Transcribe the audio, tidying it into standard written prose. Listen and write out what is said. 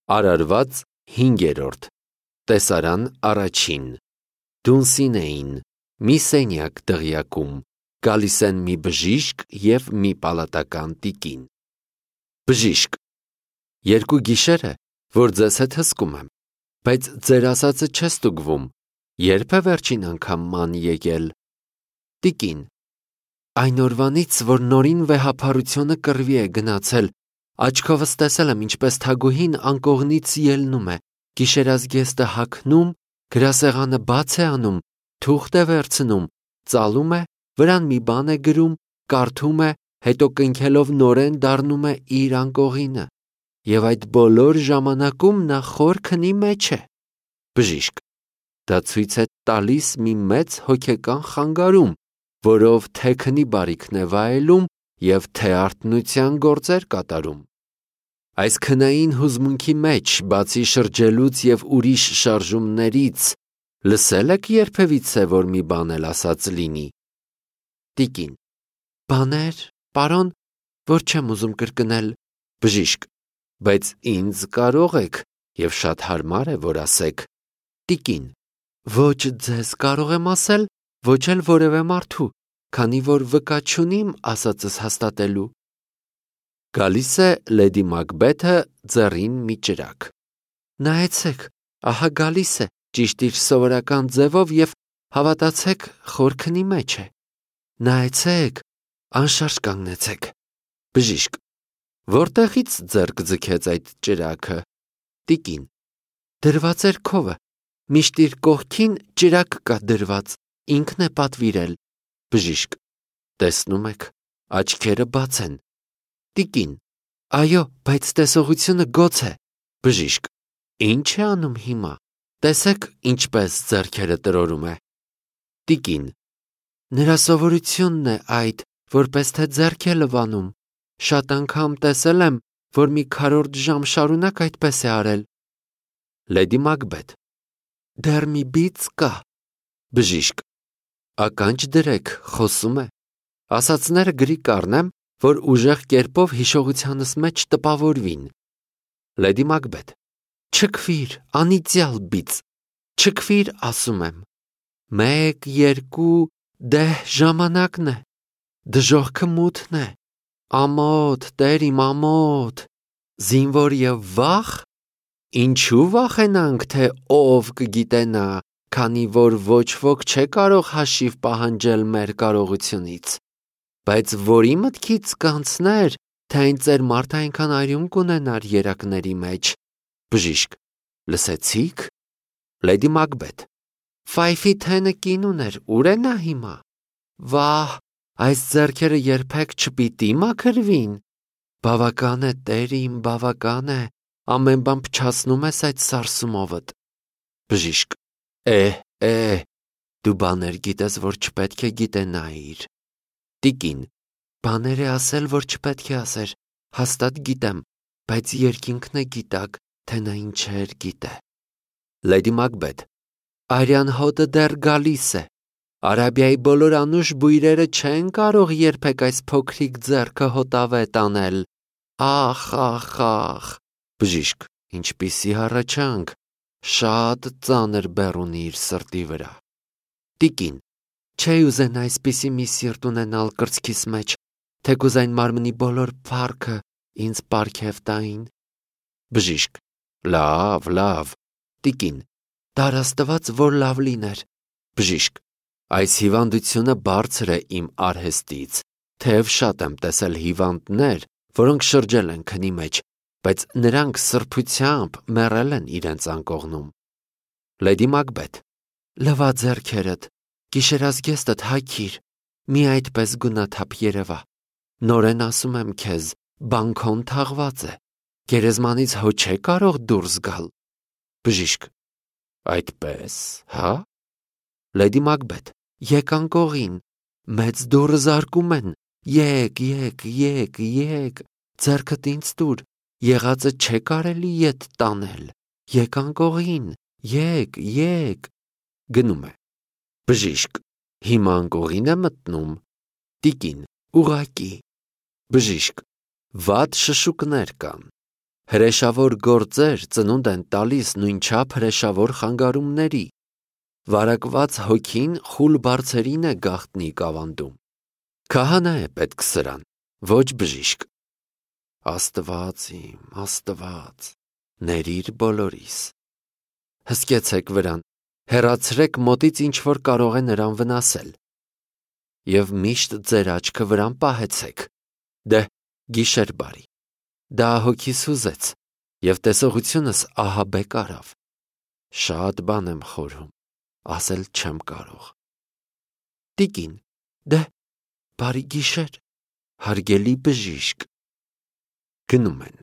Արարված 5-րդ Տեսարան առաջին Դունսին էին, մի սենյակ դղյակում, գալիս են մի բժիշկ և մի պալատական տիկին։ Բժիշկ. երկու գիշեր է, որ ձեզ հետ հսկում եմ, բայց ձեր ասածը չէ ստուգվում, երբ է վերջին անգամ ման եկել։ Տիկին. այն օրվանից, որ նորին վեհափառությունը կռվի է գնացել, աչքովս տեսել եմ, ինչպես թագուհին անկողնից ելնում է, գիշերազգեստը հագնում, գրասեղանը բաց է անում, թուղթ է վերցնում, ծալում է, վրան մի բան է գրում, կարդում է, հետո կնքելով նորեն դառնում է իր անկողինը, և այդ բոլոր ժամանակում նա խոր քնի մեջ է։ Բժիշկ. դա ցույց է տալիս մի մեծ հոգեկան խանգարում, որով թե քնի բարիքն է վայելում և թե արթնության գործեր կատարում։ Այս քնային հուզմունքի մեջ, բացի շրջելուց և ուրիշ շարժումներից, լսել եք երբևիցե, որ մի բան էլ ասած լինի։ Տիկին. բաներ, պարոն, որ չեմ ուզում կրկնել։ Բժիշկ. բայց ինձ կարող եք, և շատ հարմար է, որ ասեք։ Տիկին. ոչ ձեզ կարող եմ ասել, ոչ էլ որևէ մարդու, քանի որ վկա չունիմ ասածս հաստատելու։ Գալիս է Լեդի Մակբեթը ձեռին մի ճրագ։ Նայեցեք, ահա գալիս է, ճիշտ իր սովորական ձևով և հավատացեք, խոր քնի մեջ է։ Նայեցեք, անշարժ կանգնեցեք։ Բժիշկ. որտեղից ձեռք ձգեց այդ ճրագը։ Տիկին. դրված էր քովը, միշտ իր կողքին ճրագ կա դրված, ինքն է պատվիրել։ Բժիշկ. տեսնում եք, աչքերը բաց են։ Տիկին. այո, բայց տեսողությունը գոց է։ Բժիշկ. ինչ է անում հիմա։ Տեսեք, ինչպես ձեռքերը տրորում է։ Տիկին. նրա սովորությունն է այդ, որպես թե ձեռք է լվանում։ Շատ անգամ տեսել եմ, որ մի քառորդ ժամ շարունակ այդպես է արել։ Լեդի Մակբեթ. դեռ մի բիծ կա։ Բժիշկ. ականջ դրեք, խոսում է։ Ասածները գրի կառնեմ, որ ուժեղ կերպով հիշողությանս մեջ տպավորվին։ Լեդի Մակբեթ. չքվիր, անիծյալ բիծ, չքվիր, ասում եմ։ 1, 2, դեհ ժամանակն է, դժոխքը մութն է, ամոթ, տեր իմ ամոթ, զինվոր և վախ։ Ինչու վախենանք, թե ով կգիտենա, քանի որ ոչ ոք չէ կարող հաշիվ պահանջել մեր կարողությունից։ Բայց որի մտքից կանցներ, թե այն ծեր մարդը այնքան արյուն կունենար երակների մեջ։ Բժիշկ. լսեցի՞ք։ Լեդի Մակբեթ. Ֆայֆի թենը կին ուներ, ուր է նա հիմա։ Վահ, այս ձեռքերը երբեք չպիտի մաքրվին։ Բավական է, տեր իմ, բավական է, ամեն բան փչացնում ես այդ սարսումովդ։ Բժիշկ. դու բաներ գիտես, որ չպետք է գիտենայիր։ Տիկին. բաներ է ասել, որ չպետք է ասեր, հաստատ գիտեմ, բայց երկինքն է գիտակ, թե նա ինչեր գիտե։ Լեդի Մակբեթ. արյան հոտը դեռ գալիս է։ Արաբիայի բոլոր անուշ բույրերը չեն կարող երբեք այս փոքրիկ ձեռքը հոտավետ անել։ Ախ, ախ, ախ։ Բժիշկ. ինչպիսի հառաչանք, շատ ծանր բեռ ունի իր սրտի վրա։ Տիկին. չէի ուզենա այսպիսի մի սիրտ ունենալ կրծքիս մեջ, թեկուզ այն մարմնի բոլոր փառքը ինձ պարգև տային։ Բժիշկ. լավ։ Տիկին. դար Աստված, որ լավ լիներ։ Բժիշկ. այս հիվանդությունը բարձր է իմ արհեստից, թեև շատ եմ տեսել հիվանդներ, որոնք շրջել են քնի մեջ, բայց նրանք սրբությամբ մեռել են իրենց անկողնում։ Լեդի Մակբեթ. լվա ձեռքերդ, գիշերազգեստդ հագիր, մի այդպես գունաթափ երևա։ Նորեն ասում եմ քեզ, բանքոն թաղված է, գերեզմանից հո չէ կարող դուրս գալ։ Բժիշկ. այդպես, հա։ Լեդի Մակբեթ. եկ անկողին, մեծ դուռը զարկում են, եկ, ձեռքդ ինձ տուր, եղածը չէ կարելի ետ տանել, եկ անկողին, եկ։ Գնում է։ Բժիշկ. հիմա անկողին է մտնում։ Տիկին. ուղղակի։ Բժիշկ. վատ շշուկներ կան։ Հրեշավոր գործեր ծնունդ են տալիս նույնչափ հրեշավոր խանգարումների։ Վարակված հոգին խուլ բարձերին է գաղտնի կավանդում։ Քահանա է պետք սրան, ոչ բժիշկ։ Աստված իմ, Աստված, ներիր բոլորիս։ Հսկեցեք վրան, հեռացրեք մոտից ինչ որ կարող է նրան վնասել։ Եվ միշտ ձեր աչքը վրան պահեցեք։ Դե, գիշեր բարի։ Դա հոգիս ուզեց, և տեսողությունս ահաբեկ արավ։ Շատ բան եմ խորհում, ասել չեմ կարող։ Տիկին, դե, բարի գիշեր, հարգելի բժիշկ։ Գնում են։